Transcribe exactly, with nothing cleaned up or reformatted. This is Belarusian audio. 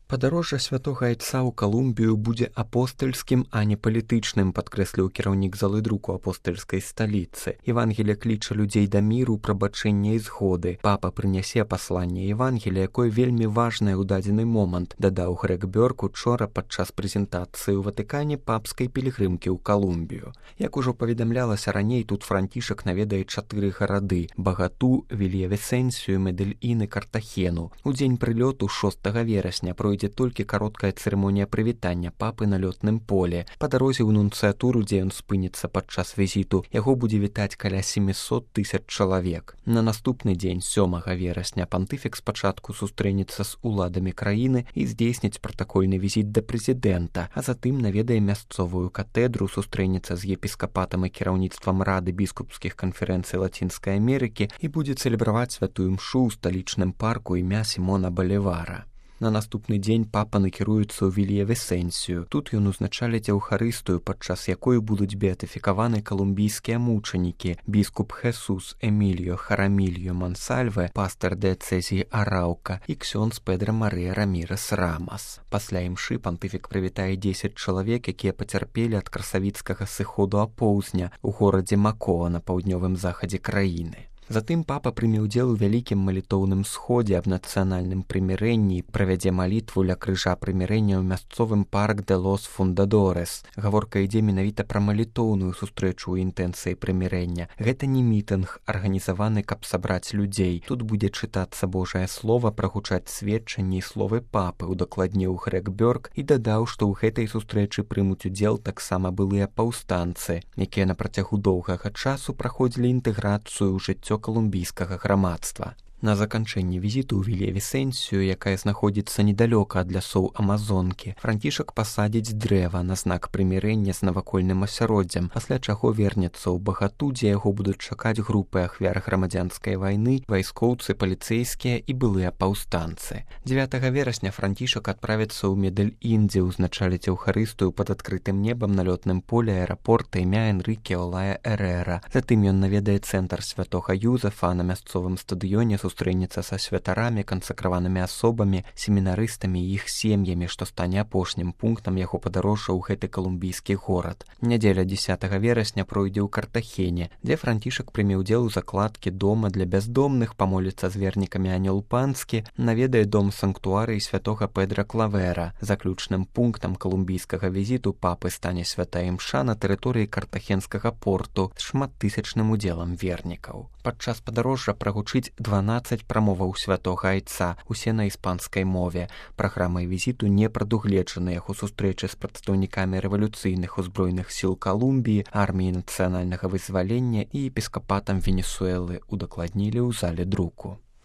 Падарожжа святога айца ў Калумбію будзе апостальскім, а не палітычным, падкрэсліў кіраўнік залы друку апостальскай сталіцы. Евангелие кліча людзей да міру, прабачэння і згоды. Папа прынясе пасланне Евангелія, якое вельмі важнае ў дадзены момант, дадаў Грег Бёрк учора падчас прэзентацыі ў Ватыкане папскай пілігрымкі ў Калумбію. Як ужо паведамлялася раней, тут Францішак наведае чатыры гарады: Багату, Вільявісенсію, Медэльін і Картахену. У дзень прылёту шостага верасня пройдзе ідзе толькі кароткая цырымонія прывітання папы на лётным поле. Па дарозе ў нунцыятуру, дзе ён спыніцца падчас візіту, яго будзе вітаць каля сямьсот тысяч чалавек. На наступны дзень, сёмага верасня, пантыфік спачатку сустрэнецца з уладамі краіны і здзейсніць пратакольны візіт да прэзідэнта, а затым наведае мясцовую катэдру, сустрэнецца з епіскапатам і кіраўніцтвам Рады біскупскіх канферэнцый Лацінскай Амерыкі і будзе цэлебраваць святую мшу ў сталічным парку імя Сімона Балівара. На наступны дзень папа накіруецца ў Вільявісенсію. Тут ён узначаліць еўхарыстыю, падчас якой будуць беатыфікаваны калумбійскія мучанікі: біскуп Хесус Эміліо Харамільо Мансальве, пастар дыяцэзіі Араўка і ксёндз Педра Марыя Рамірес Рамас. Пасля імшы пантыфік прывітае дзесяць чалавек, якія пацярпелі ад красавіцкага сыходу апоўзня ў горадзе Макоа на паўднёвым захадзе краіны. Затым папа прыме ўдзел у вялікім малітоўным сходзе аб нацыянальным прымірэнні і правядзе малітву ля крыжа прымірэння ў мясцовым парк де лос Фундадорес. Гаворка ідзе менавіта пра малітоўную сустрэчу ў інтэнцыі прымірэння. Гэта не мітынг, арганізаваны, каб сабраць людзей. Тут будзе чытацца Божае слова, прагучаць сведчанні і словы папы, удакладніў Грег Бёрк і дадаў, што ў гэтай сустрэчы прымуць удзел таксама былыя паўстанцы, якія на працягу доўгага часу праходзілі інтэграцыю ў жыццё калумбійскага грамадства. На заканчэнні візіту ў Вільявісенсію, якая знаходзіцца недалёка ад лясоў Амазонкі, Францішак пасадзіць дрэва на знак прымірэння з навакольным асяроддзям, пасля чаго вернецца ў Багату, дзе яго будуць чакаць групы ахвяр грамадзянскай вайны, вайскоўцы, паліцэйскія і былыя паўстанцы. дзевятага верасня Францішак адправіцца ў Медэльін, дзе ўзначаліць еўхарыстыю пад адкрытым небам на лётным поле аэрапорта імя Энрыке Олая Эрэра. Затым ён наведае цэнтр святога Юзефа, на мясцовым стадыёне сустрэнецца са святарамі, кансакраванымі асобамі, семінарыстамі і іх сем'ямі, што стане апошнім пунктам яго падарожжа ў гэты калумбійскі горад. Нядзеля дзесятага верасня пройдзе ў Картахене, дзе Францішак прыме ўдзел у закладкі дома для бяздомных, памоліцца з вернікамі Анёл Панскі, наведае дом санктуарый святога Педра Клавера. Заключным пунктам калумбійскага візіту папы стане святая імша на тэрыторыі картахенскага порту з шматтысячным удзелам вернікаў. Падчас падарожжа прагучыць дванаццаць прамоваў святога айца, усе на іспанскай мове. Праграмай візіту не прадугледжаны яго сустрэчы з прадстаўнікамі рэвалюцыйных узброеных сіл Калумбіі, арміі нацыянальнага вызвалення і епіскапатам Венесуэлы, удакладнілі ў зале друку.